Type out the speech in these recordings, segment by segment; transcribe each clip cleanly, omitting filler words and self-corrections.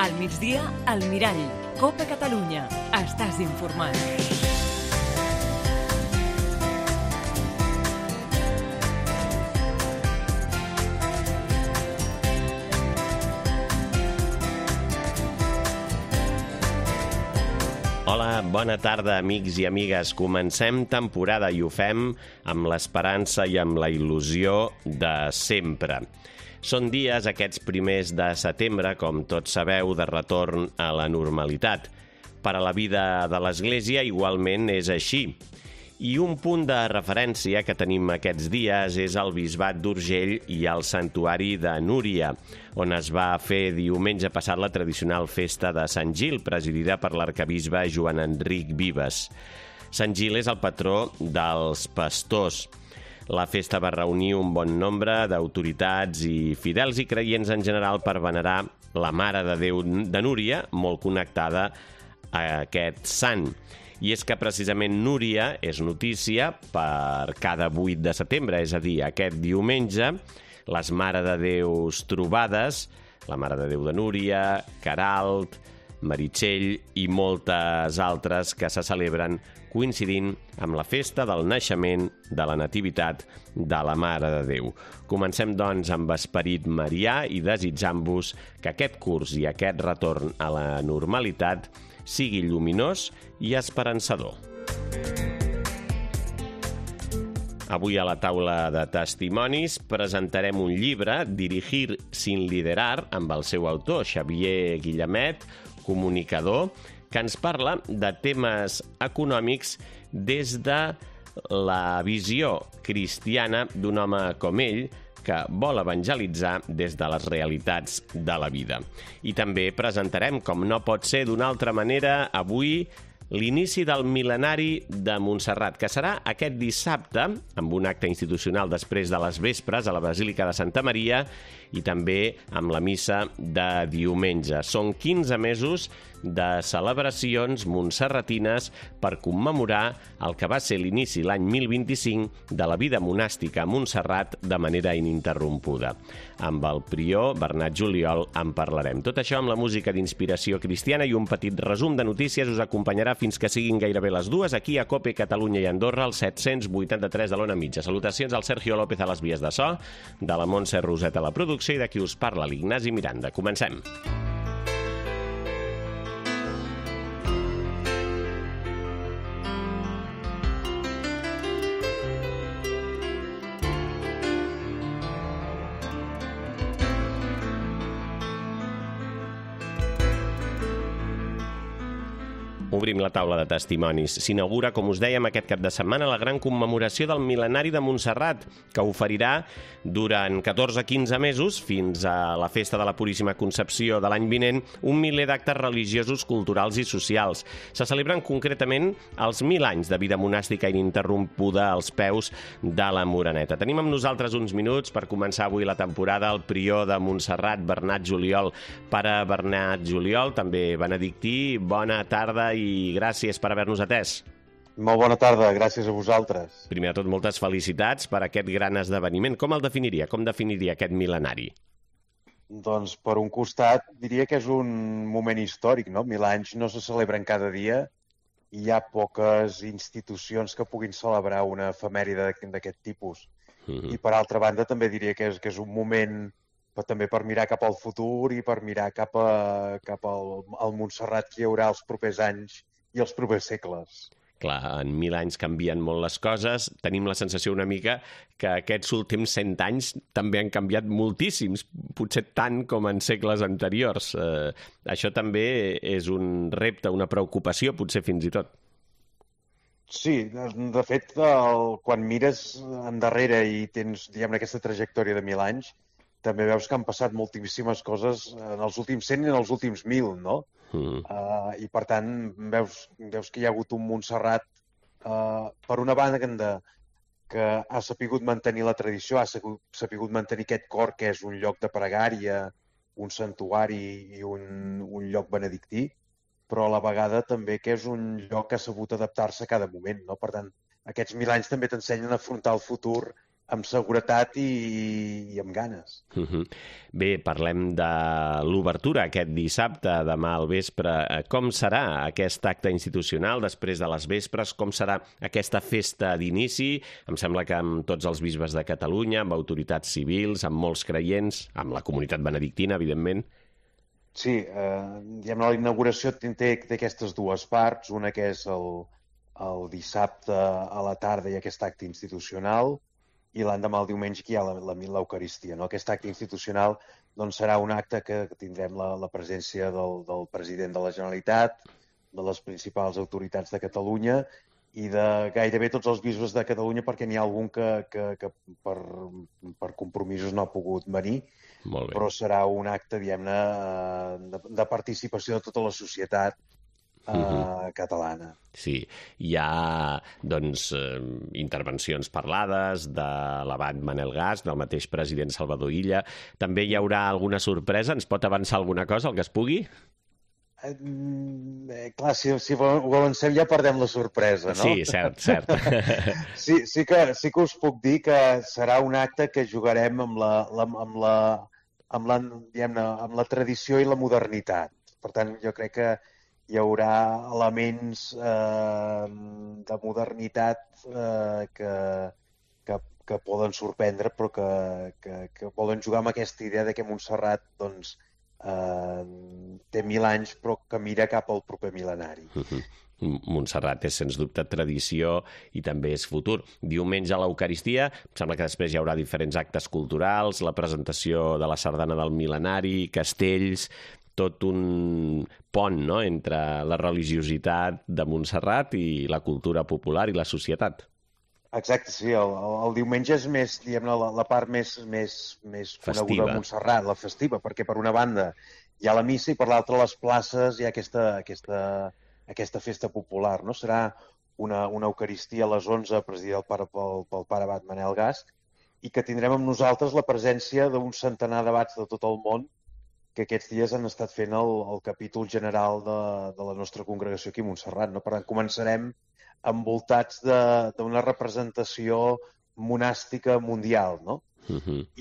Al migdia, al Mirall. Copa Catalunya. Estàs informat. Hola, bona tarda, amics i amigues. Comencem temporada i ho fem amb l'esperança i amb la il·lusió de sempre. Són dies, aquests primers de setembre, com tots sabeu, de retorn a la normalitat. Per a la vida de l'Església igualment és així. I un punt de referència que tenim aquests dies és el Bisbat d'Urgell i el Santuari de Núria, on es va fer diumenge passat la tradicional festa de Sant Gil, presidida per l'arquebisbe Joan Enric Vives. Sant Gil és el patró dels pastors. La festa va reunir un bon nombre d'autoritats i fidels i creients en general per venerar la Mare de Déu de Núria, molt connectada a aquest sant. I és que precisament Núria és notícia per cada 8 de setembre, és a dir, aquest diumenge, les Mare de Déus trobades, la Mare de Déu de Núria, Queralt, Meritxell i moltes altres que se celebren coincidint amb la festa del naixement de la Nativitat de la Mare de Déu. Comencem, doncs, amb esperit marià i desitjant-vos que aquest curs i aquest retorn a la normalitat sigui lluminós i esperançador. Avui a la taula de testimonis presentarem un llibre, Dirigir sin liderar, amb el seu autor, Xavier Guillemet, comunicador, que ens parla de temes econòmics des de la visió cristiana d'un home com ell, que vol evangelitzar des de les realitats de la vida. I també presentarem, com no pot ser d'una altra manera, avui l'inici del mil·lenari de Montserrat, que serà aquest dissabte, amb un acte institucional després de les vespres a la Basílica de Santa Maria i també amb la missa de diumenge. Són 15 mesos de celebracions montserratines per commemorar el que va ser l'inici l'any 1025 de la vida monàstica a Montserrat de manera ininterrompuda. Amb el prior Bernat Juliol en parlarem. Tot això amb la música d'inspiració cristiana i un petit resum de notícies us acompanyarà fins que siguin gairebé les 2 aquí a COPE Catalunya i Andorra, al 783 de l'Ona Mitja. Salutacions al Sergio López a les vies de so, de la Montse Roset a la producció i de qui us parla, l'Ignasi Miranda. Comencem. Obrim la taula de testimonis. S'inaugura, com us dèiem, aquest cap de setmana la gran commemoració del mil·lenari de Montserrat, que oferirà durant 14-15 mesos, fins a la festa de la Puríssima Concepció de l'any vinent, un miler d'actes religiosos, culturals i socials. Se celebren concretament els 1000 anys de vida monàstica ininterrompuda als peus de la Moreneta. Tenim amb nosaltres uns minuts per començar avui la temporada el prior de Montserrat, Bernat Juliol. Pare Bernat Juliol, també benedictí, bona tarda i gràcies per haver-nos atès. Molt bona tarda, gràcies a vosaltres. Primer de tot, moltes felicitats per aquest gran esdeveniment. Com el definiria? Com definiria aquest mil·lenari? Doncs, per un costat, diria que és un moment històric, no? 1000 anys no se celebren cada dia i hi ha poques institucions que puguin celebrar una efemèride d'aquest tipus. I, per altra banda, també diria que és un moment també per mirar cap al futur i per mirar cap al Montserrat que hi haurà els propers anys i els propers segles. Clar, en 1000 anys canvien molt les coses. Tenim la sensació una mica que aquests últims 100 anys també han canviat moltíssims, potser tant com en segles anteriors. Això també és un repte, una preocupació, potser fins i tot. Sí, de fet, quan mires endarrere i tens, diguem-ne, aquesta trajectòria de 1000 anys, també veus que han passat moltíssimes coses en els últims 100 i en els últims 1000, no? I per tant veus que hi ha hagut un Montserrat per una banda que ha sapigut mantenir la tradició, ha sapigut mantenir aquest cor que és un lloc de pregària, un santuari i un lloc benedictí, però a la vegada també que és un lloc que ha sabut adaptar-se a cada moment, no? Per tant, aquests 1000 anys també t'ensenyen a afrontar el futur amb seguretat i amb ganes. Bé, parlem de l'obertura aquest dissabte, demà al vespre. Com serà aquest acte institucional després de les vespres? Com serà aquesta festa d'inici? Em sembla que amb tots els bisbes de Catalunya, amb autoritats civils, amb molts creients, amb la comunitat benedictina, evidentment. Sí, la inauguració té aquestes dues parts, una que és el dissabte a la tarda i aquest acte institucional, i l'endemà, el diumenge, que hi ha l'Eucaristia. No? Aquest acte institucional doncs, serà un acte que tindrem la presència del president de la Generalitat, de les principals autoritats de Catalunya i de gairebé tots els bisbes de Catalunya, perquè n'hi ha algun que per compromisos no ha pogut venir, però serà un acte, diguem-ne, de participació de tota la societat catalana. Sí, hi ha doncs, intervencions parlades de l'abat Manel Gas, del mateix president Salvador Illa. També hi haurà alguna sorpresa? Ens pot avançar alguna cosa, el que es pugui? Clar, si ho avancem ja perdem la sorpresa, no? Sí, cert. Sí que us puc dir que serà un acte que jugarem amb la tradició i la modernitat. Per tant, jo crec que hi haurà elements de modernitat que poden sorprendre, però que volen jugar amb aquesta idea de que Montserrat doncs, té 1.000 anys, però que mira cap al proper mil·lenari. Montserrat és, sens dubte, tradició i també és futur. Diumenge a l'Eucaristia, em sembla que després hi haurà diferents actes culturals, la presentació de la sardana del mil·lenari, castells, tot un pont, no?, entre la religiositat de Montserrat i la cultura popular i la societat. Exacte, sí. El diumenge és més, diguem-ne, la part més coneguda de Montserrat, la festiva, perquè per una banda hi ha la missa i per l'altra les places hi ha aquesta festa popular, no? Serà una Eucaristia a les 11 presidida pel pare abat Manel Gas i que tindrem amb nosaltres la presència d'un centenar d'abats de tot el món que aquests dies han estat fent el capítol general de la nostra congregació aquí a Montserrat. No? Per tant, començarem envoltats d'una representació monàstica mundial, no?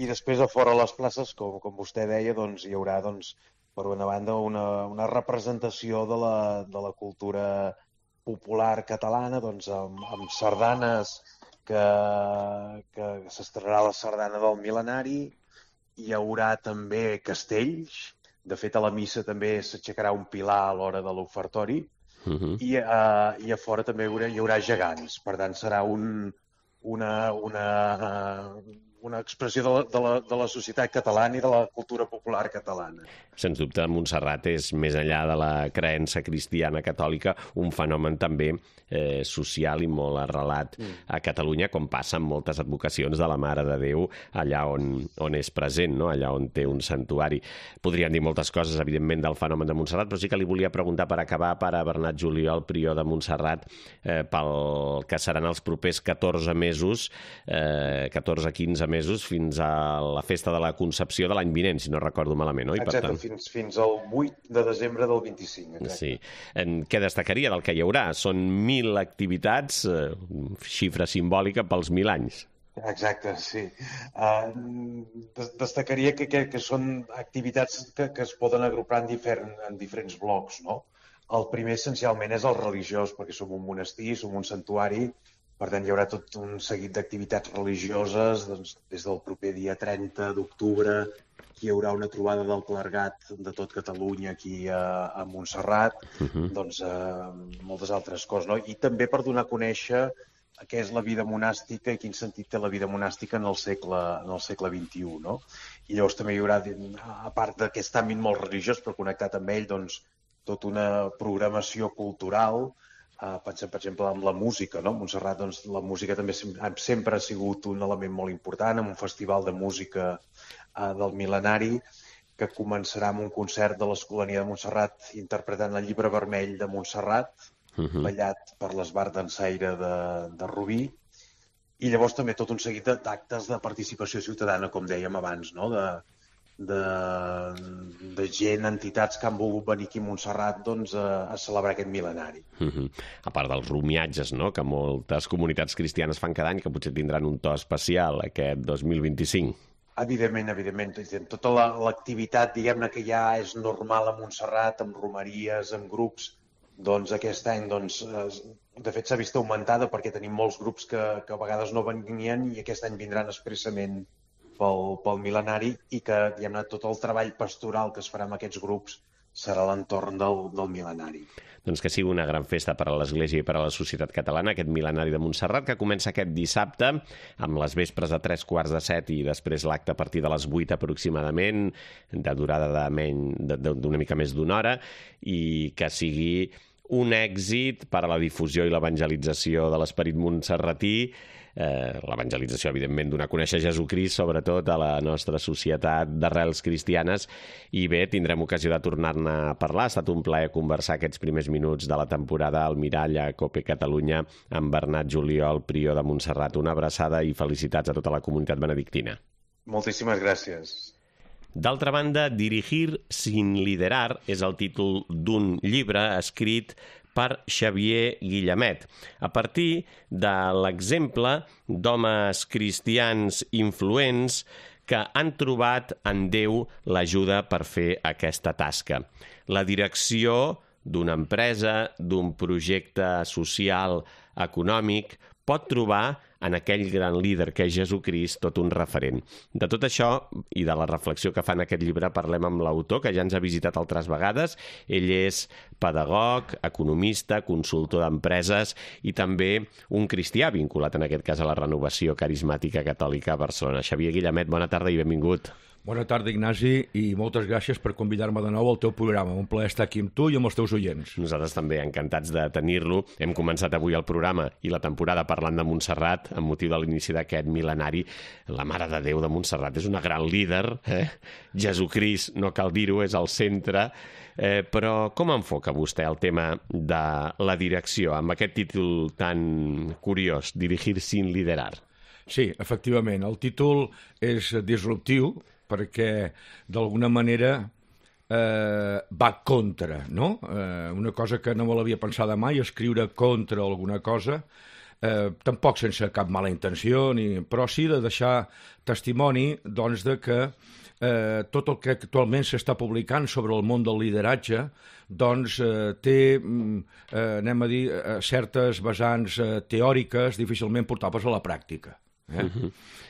I després a fora les places, com vostè deia, doncs, hi haurà, doncs, per una banda, una representació de la cultura popular catalana, doncs, amb sardanes, que s'estrenarà la sardana del mil·lenari. Hi haurà també castells. De fet, a la missa també s'aixecarà un pilar a l'hora de l'ofertori. I a fora també hi haurà gegants. Per tant, serà una expressió de la societat catalana i de la cultura popular catalana. Sens dubte, Montserrat és, més enllà de la creença cristiana catòlica, un fenomen també social i molt arrelat a Catalunya, com passa amb moltes advocacions de la Mare de Déu allà on és present, no? Allà on té un santuari. Podríem dir moltes coses, evidentment, del fenomen de Montserrat, però sí que li volia preguntar per acabar, pare Bernat Juliol, prior de Montserrat, pel que seran els propers 14 mesos, 14-15 mesos, fins a la festa de la Concepció de l'any vinent, si no recordo malament, oi? Exacte, fins al 8 de desembre del 25. Exacte. Sí. Què destacaria del que hi haurà? Són 1.000 activitats, xifra simbòlica pels 1.000 anys. Exacte, sí. Destacaria que són activitats que es poden agrupar en diferents blocs, no? El primer, essencialment, és el religiós, perquè som un monestir, som un santuari, per tant, hi haurà tot un seguit d'activitats religioses, doncs, des del proper dia 30 d'octubre, hi haurà una trobada del clergat de tot Catalunya aquí a Montserrat, doncs moltes altres coses, no? I també per donar a conèixer què és la vida monàstica i quin sentit té la vida monàstica en el segle XXI, no? I llavors també hi haurà, a part d'aquest àmbit molt religiós, però connectat amb ell, doncs, tota una programació cultural. Pensem, per exemple, en la música, no? A Montserrat, doncs, la música també sempre ha sigut un element molt important, amb un festival de música del mil·lenari, que començarà amb un concert de l'Escolania de Montserrat interpretant el Llibre Vermell de Montserrat, ballat per l'Esbart Dansaire de Rubí, i llavors també tot un seguit d'actes de participació ciutadana, com dèiem abans, no? de gent, entitats que han volgut venir aquí a Montserrat doncs, a celebrar aquest mil·lenari. A part dels romiatges, no?, que moltes comunitats cristianes fan cada any, que potser tindran un to especial aquest 2025. Evidentment. Tota l'activitat, diguem-ne, que ja és normal a Montserrat, amb romeries, amb grups, doncs aquest any, de fet, s'ha vist augmentada perquè tenim molts grups que a vegades no venien i aquest any vindran expressament pel mil·lenari i que, diguem-ne, tot el treball pastoral que es farà amb aquests grups serà a l'entorn del mil·lenari. Doncs que sigui una gran festa per a l'Església i per a la societat catalana, aquest mil·lenari de Montserrat, que comença aquest dissabte, amb les vespres a 3:45 i després l'acte a partir de les 8 aproximadament, de durada d'una mica més d'una hora, i que sigui un èxit per a la difusió i l'evangelització de l'esperit montserratí, l'evangelització, evidentment, donar a conèixer Jesucrist, sobretot a la nostra societat d'arrels cristianes. I bé, tindrem ocasió de tornar-ne a parlar. Ha estat un plaer conversar aquests primers minuts de la temporada al Mirall a COPE Catalunya amb Bernat Juliol, prior de Montserrat. Una abraçada i felicitats a tota la comunitat benedictina. Moltíssimes gràcies. D'altra banda, Dirigir sin liderar és el títol d'un llibre escrit per Xavier Guillamet, a partir de l'exemple d'homes cristians influents que han trobat en Déu l'ajuda per fer aquesta tasca. La direcció d'una empresa, d'un projecte social, econòmic, pot trobar en aquell gran líder que és Jesucrist tot un referent. De tot això i de la reflexió que fa en aquest llibre parlem amb l'autor, que ja ens ha visitat altres vegades. Ell és pedagog, economista, consultor d'empreses i també un cristià vinculat en aquest cas a la Renovació Carismàtica Catòlica a Barcelona. Xavier Guillamet, bona tarda i benvingut. Bona tarda, Ignasi, i moltes gràcies per convidar-me de nou al teu programa. Un plaer estar aquí amb tu i amb els teus oients. Nosaltres també, encantats de tenir-lo. Hem començat avui el programa i la temporada parlant de Montserrat amb motiu de l'inici d'aquest mil·lenari. La Mare de Déu de Montserrat és una gran líder. Jesucrist, no cal dir-ho, és al centre. Però com enfoca vostè el tema de la direcció amb aquest títol tan curiós, Dirigir sin liderar? Sí, efectivament, el títol és disruptiu perquè d'alguna manera va contra, no? Una cosa que no me l'havia pensada mai, escriure contra alguna cosa, tampoc sense cap mala intenció, però sí de deixar testimoni doncs, de que tot el que actualment s'està publicant sobre el món del lideratge doncs, té, anem a dir, certes vessants teòriques difícilment portables a la pràctica.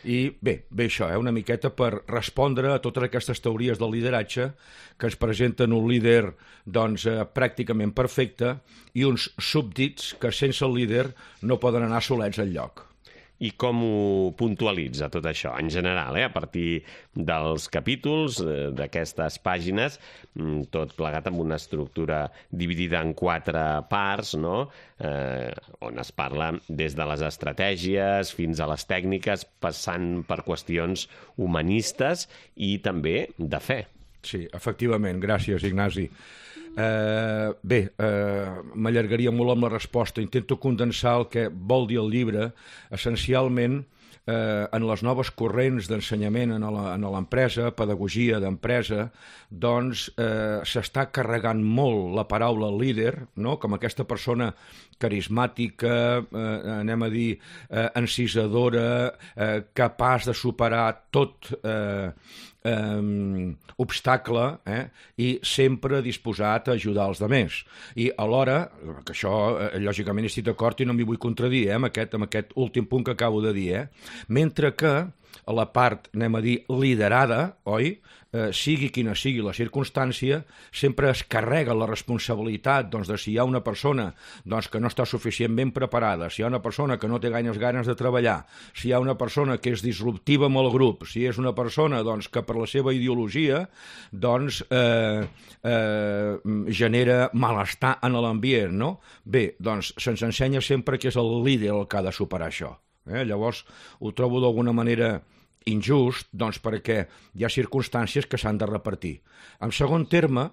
I bé, això, una miqueta per respondre a totes aquestes teories del lideratge que ens presenten un líder doncs, pràcticament perfecte i uns súbdits que sense el líder no poden anar solets enlloc. I com ho puntualitza tot això, en general, a partir dels capítols, d'aquestes pàgines, tot plegat amb una estructura dividida en 4 parts, no? On es parla des de les estratègies fins a les tècniques, passant per qüestions humanistes i també de fe. Sí, efectivament, gràcies, Ignasi. Bé, m'allargaria molt amb la resposta. Intento condensar el que vol dir el llibre, essencialment en les noves corrents d'ensenyament en l'empresa, pedagogia d'empresa, doncs s'està carregant molt la paraula líder, no? Com aquesta persona carismàtica, anem a dir, encisadora, capaç de superar tot obstacle i sempre disposat a ajudar els altres. I alhora, que això lògicament estic d'acord i no m'hi vull contradir amb aquest últim punt que acabo de dir, mentre que a la part, anem a dir, liderada, oi? Sigui quina sigui la circumstància, sempre es carrega la responsabilitat doncs, de si hi ha una persona doncs, que no està suficientment preparada, si hi ha una persona que no té ganes de treballar, si hi ha una persona que és disruptiva amb el grup, si és una persona doncs, que per la seva ideologia doncs, genera malestar en l'ambient, no? Bé, doncs se'ns ensenya sempre que és el líder el que ha de superar això. Llavors ho trobo d'alguna manera injust, doncs perquè hi ha circumstàncies que s'han de repartir. En segon terme,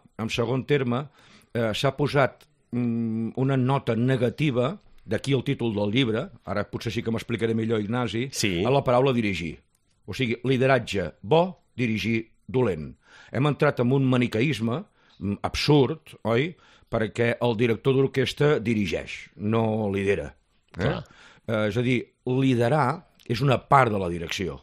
s'ha posat una nota negativa, d'aquí el títol del llibre, ara potser sí que m'explicaré millor, Ignasi, sí, a la paraula dirigir. O sigui, lideratge bo, dirigir dolent. Hem entrat en un maniqueisme absurd, oi?, perquè el director d'orquestra dirigeix, no lidera. És a dir, liderar és una part de la direcció,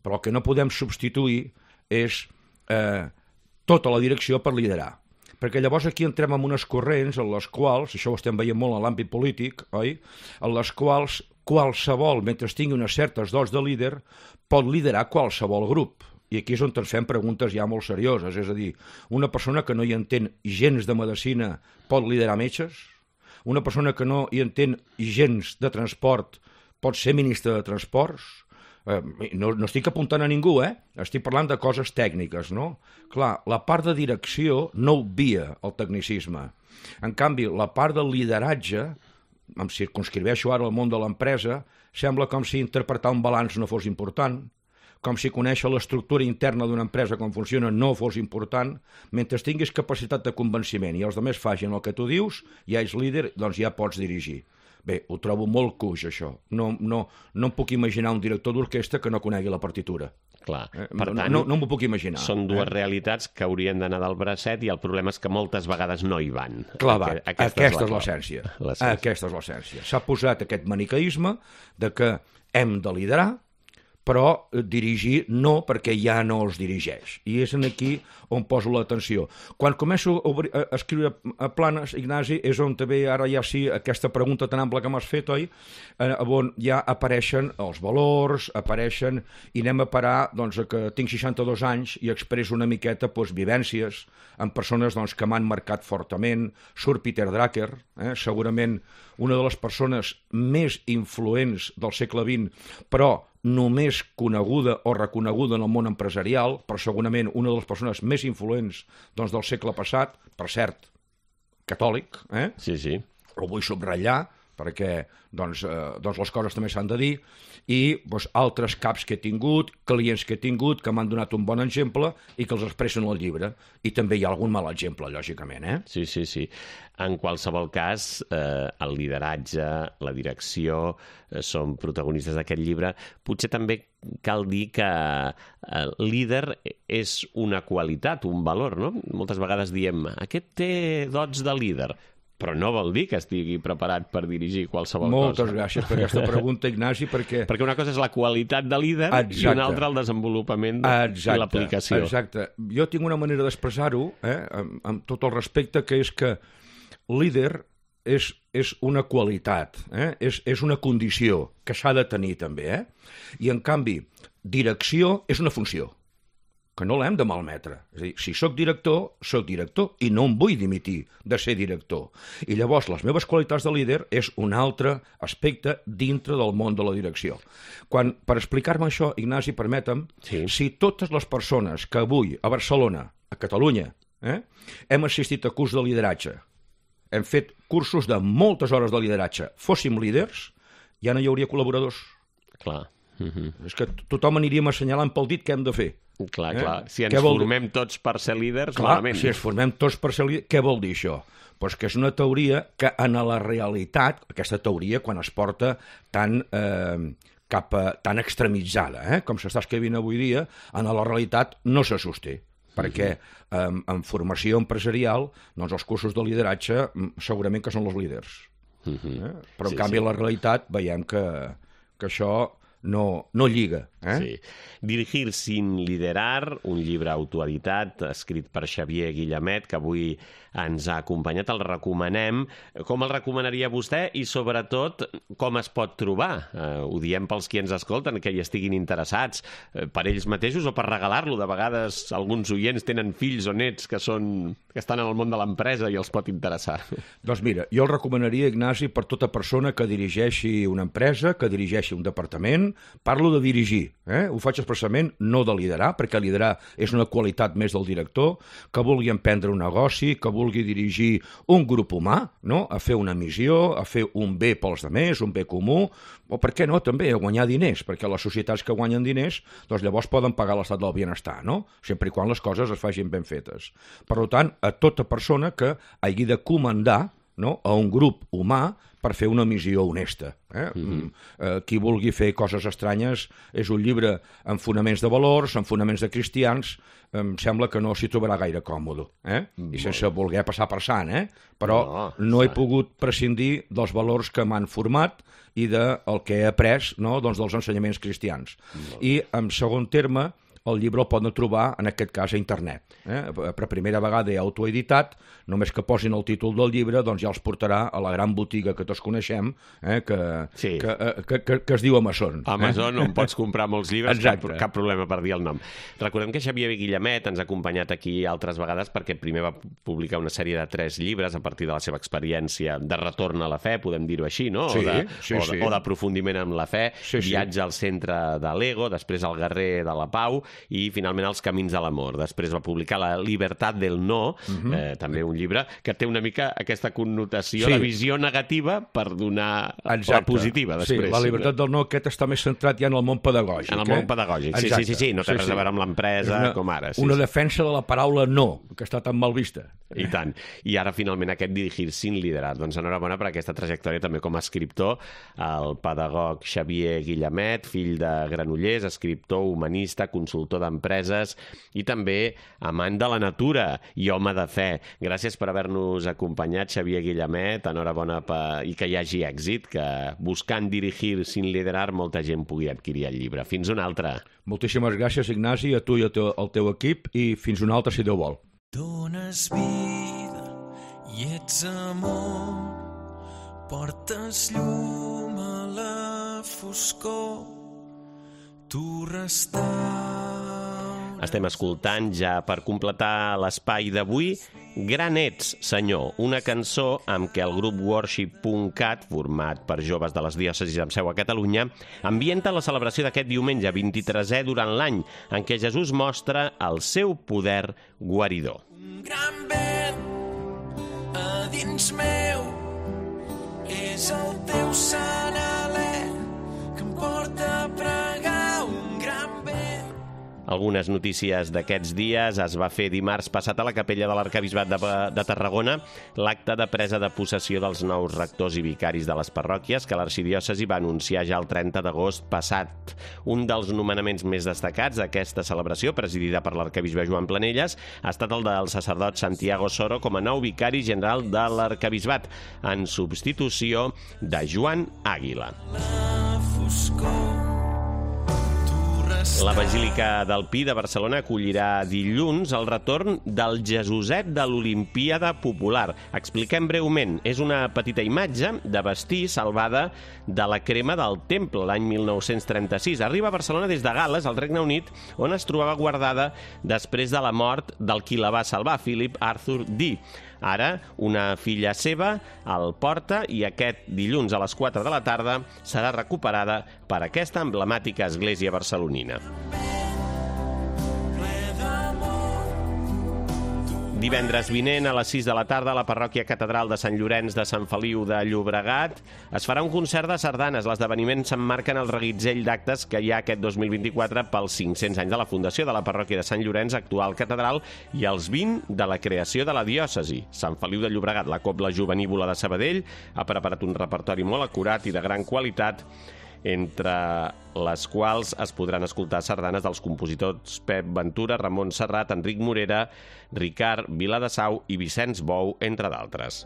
però el que no podem substituir és tota la direcció per liderar. Perquè llavors aquí entrem en unes corrents en les quals, això ho estem veient molt en l'àmbit polític, oi?, en les quals qualsevol, mentre tingui unes certes dots de líder, pot liderar qualsevol grup. I aquí és on ens fem preguntes ja molt serioses, és a dir, una persona que no hi entén gens de medicina pot liderar metges? Una persona que no hi entén gens de transport pot ser ministre de transports? No estic apuntant a ningú, estic parlant de coses tècniques, no? Clar, la part de direcció no obvia el tecnicisme. En canvi, la part del lideratge, em circunscriveixo ara al món de l'empresa, sembla com si interpretar un balanç no fos important, com si conèixer l'estructura interna d'una empresa, com funciona, no fos important. Mentre tinguis capacitat de convenciment i els altres facin el que tu dius, ja ets líder, doncs ja pots dirigir. Bé, ho trobo molt cuix, això. No em puc imaginar un director d'orquestra que no conegui la partitura. Clar. Per tant, no m'ho puc imaginar. Són dues realitats que haurien d'anar del bracet i el problema és que moltes vegades no hi van. Clar, aquesta és l'essència. Aquesta és l'essència. S'ha posat aquest maniqueisme de que hem de liderar, però dirigir no, perquè ja no es dirigeix. I és aquí on poso l'atenció. Quan començo a escriure planes, Ignasi, és on també ara ja sí, aquesta pregunta tan ampla que m'has fet, oi? On ja apareixen els valors, apareixen, i anem a parar doncs, que tinc 62 anys i expresso una miqueta vivències amb persones doncs, que m'han marcat fortament. Surt Peter Drucker, segurament una de les persones més influents del segle XX, però només coneguda o reconeguda en el món empresarial, però segurament una de les persones més influents doncs, del segle passat, per cert, catòlic, Sí, sí. Ho vull subratllar, perquè doncs, les coses també s'han de dir, i doncs, altres caps que he tingut, clients que he tingut, que m'han donat un bon exemple i que els expressen al llibre. I també hi ha algun mal exemple, lògicament. Sí, sí, sí. En qualsevol cas, el lideratge, la direcció, són protagonistes d'aquest llibre. Potser també cal dir que el líder és una qualitat, un valor, no? Moltes vegades diem, aquest té dots de líder, però no vol dir que estigui preparat per dirigir qualsevol cosa. Moltes gràcies per aquesta pregunta, Ignasi, perquè una cosa és la qualitat de líder i una altra el desenvolupament i l'aplicació. Exacte. Jo tinc una manera d'expressar-ho, amb tot el respecte, que és que líder és una qualitat, és una condició que s'ha de tenir també, i en canvi direcció és una funció que no l'hem de malmetre. És a dir, si soc director i no em vull dimitir de ser director. I llavors les meves qualitats de líder és un altre aspecte dintre del món de la direcció. Per explicar-me això, Ignasi, permetem, si totes les persones que avui a Barcelona, a Catalunya, hem assistit a curs de lideratge, hem fet cursos de moltes hores de lideratge, fóssim líders, ja no hi hauria col·laboradors. Clar. És que tothom aniríem assenyalant pel dit què hem de fer. Clar. Si ens formem tots per ser líders, malament. Si ens formem tots per ser líders, què vol dir això? Doncs que és una teoria que en la realitat, aquesta teoria quan es porta tan tan extremitzada, com s'està escrivint avui dia, en la realitat no se sosté. Perquè en formació empresarial, doncs els cursos de lideratge segurament que són els líders. Però en canvi a la realitat veiem que això no lliga. Sí. Dirigir sin liderar, un llibre autoeditat escrit per Xavier Guillemet, que avui ens ha acompanyat. El recomanem. Com el recomanaria vostè i, sobretot, com es pot trobar? Ho diem pels qui ens escolten, que hi estiguin interessats, per ells mateixos o per regalar-lo. De vegades alguns oients tenen fills o nets que estan en el món de l'empresa i els pot interessar. Doncs mira, jo el recomanaria, Ignasi, per tota persona que dirigeixi una empresa, que dirigeixi un departament. Parlo de dirigir, ho faig expressament, no de liderar, perquè liderar és una qualitat més del director, que vulgui emprendre un negoci, que vulgui dirigir un grup humà, no? A fer una missió, a fer un bé pels altres, un bé comú, o per què no, també, a guanyar diners, perquè les societats que guanyen diners, doncs llavors poden pagar l'estat del benestar, no? Sempre i quan les coses es facin ben fetes. Per tant, a tota persona que hagi de comandar no? A un grup humà per fer una missió honesta. Qui vulgui fer coses estranyes és un llibre amb fonaments de valors, amb fonaments de cristians, em sembla que no s'hi trobarà gaire còmode, i sense voler passar per sant, però no he pogut prescindir dels valors que m'han format i del que he après, no? Doncs dels ensenyaments cristians. I, en segon terme, el llibre el poden trobar, en aquest cas, a internet. Per primera vegada he autoeditat, només que posin el títol del llibre, doncs ja els portarà a la gran botiga que tots coneixem, que es diu Amazon. Amazon, on pots comprar molts llibres, cap problema per dir el nom. Recordem que Xavier Guillemet ens ha acompanyat aquí altres vegades perquè primer va publicar una sèrie de 3 llibres a partir de la seva experiència de retorn a la fe, podem dir-ho així, no? O d'aprofundiment en la fe, viatge al centre de l'ego, després al guerrer de la pau, i finalment Els camins de l'amor. Després va publicar La libertad del no, també un llibre que té una mica aquesta connotació de visió negativa per donar la positiva després. Sí, La libertad del no, aquest està més centrat ja en el món pedagògic. En el món pedagògic, sí, no té res a veure amb l'empresa com ara. Una defensa de la paraula no, que està tan mal vista. I tant. I ara finalment aquest Dirigir sin liderar. Doncs enhorabona per aquesta trajectòria també com a escriptor, el pedagog Xavier Guillemet, fill de Granollers, escriptor, humanista, consultor d'empreses i també amant de la natura i home de fe. Gràcies per haver-nos acompanyat, Xavier Guillemet. Enhorabona i que hi hagi èxit, que buscant Dirigir sin liderar molta gent pugui adquirir el llibre. Fins una altra. Moltíssimes gràcies, Ignasi, a tu i al teu equip, i fins una altra, si Déu vol. Dones vida i ets amor, portes llum a la foscor, tu restaures. Estem escoltant ja per completar l'espai d'avui Gran ets, senyor, una cançó amb què el grup Worship.cat, format per joves de les diòcesis amb seu a Catalunya, ambienta la celebració d'aquest diumenge 23è durant l'any, en què Jesús mostra el seu poder guaridor. Un gran vent a dins meu és el teu sant alè que em porta a pregar. Un gran vent. Algunes notícies d'aquests dies. Es va fer dimarts passat a la capella de l'Arquebisbat de Tarragona l'acte de presa de possessió dels nous rectors i vicaris de les parròquies que l'arxidiòcesi va anunciar ja el 30 d'agost passat. Un dels nomenaments més destacats d'aquesta celebració, presidida per l'arquebisbe Joan Planelles, ha estat el del sacerdot Santiago Soro com a nou vicari general de l'Arquebisbat, en substitució de Joan Àguila. La Basílica del Pi de Barcelona acollirà dilluns el retorn del Jesuset de l'Olimpíada Popular. Expliquem breument. És una petita imatge de vestir salvada de la crema del temple l'any 1936. Arriba a Barcelona des de Gal·les, al Regne Unit, on es trobava guardada després de la mort del qui la va salvar, Philip Arthur Dee. Ara, una filla seva el porta i aquest dilluns a les 4 de la tarda serà recuperada per aquesta emblemàtica església barcelonina. Divendres vinent a les 6 de la tarda a la parròquia catedral de Sant Llorenç de Sant Feliu de Llobregat es farà un concert de sardanes. L'esdeveniment s'emmarca en el reguitzell d'actes que hi ha aquest 2024 pels 500 anys de la fundació de la parròquia de Sant Llorenç, actual catedral, i els 20 de la creació de la diòcesi. Sant Feliu de Llobregat, la Cobla Jovenívola de Sabadell, ha preparat un repertori molt acurat i de gran qualitat, entre les quals es podran escoltar sardanes dels compositors Pep Ventura, Ramon Serrat, Enric Morera, Ricard Viladesau i Vicenç Bou, entre d'altres.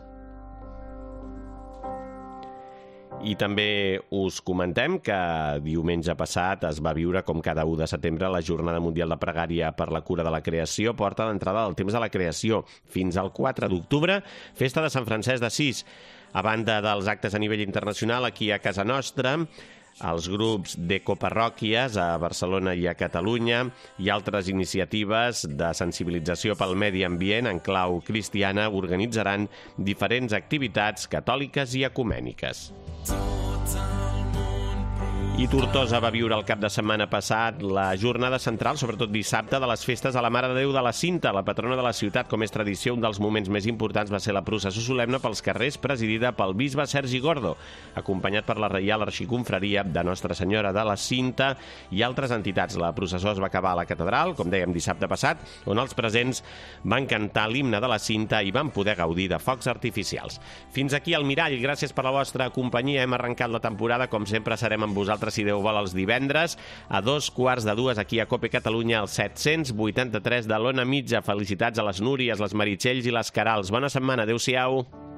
I també us comentem que diumenge passat es va viure, com cada 1 de setembre, la Jornada Mundial de Pregària per la Cura de la Creació, porta d'entrada del temps de la creació. Fins al 4 d'octubre, festa de Sant Francesc d'Assís. A banda dels actes a nivell internacional, aquí a casa nostra, els grups d'ecoparròquies a Barcelona i a Catalunya i altres iniciatives de sensibilització pel medi ambient en clau cristiana organitzaran diferents activitats catòliques i ecumèniques. I Tortosa va viure el cap de setmana passat la jornada central, sobretot dissabte, de les festes a la Mare de Déu de la Cinta, la patrona de la ciutat. Com és tradició, un dels moments més importants va ser la processó solemne pels carrers, presidida pel bisbe Sergi Gordo, acompanyat per la Reial Arxiconfraria de Nostra Senyora de la Cinta i altres entitats. La processó es va acabar a la catedral, com dèiem, dissabte passat, on els presents van cantar l'himne de la Cinta i van poder gaudir de focs artificials. Fins aquí el Mirall. Gràcies per la vostra companyia. Hem arrencat la temporada. Com sempre, serem amb vosaltres, si Déu vol, els divendres a 2:15 aquí a COPE Catalunya, al 783 de l'Ona Mitja. Felicitats a les Núries, les Meritxells i les Carals. Bona setmana. Adéu-siau.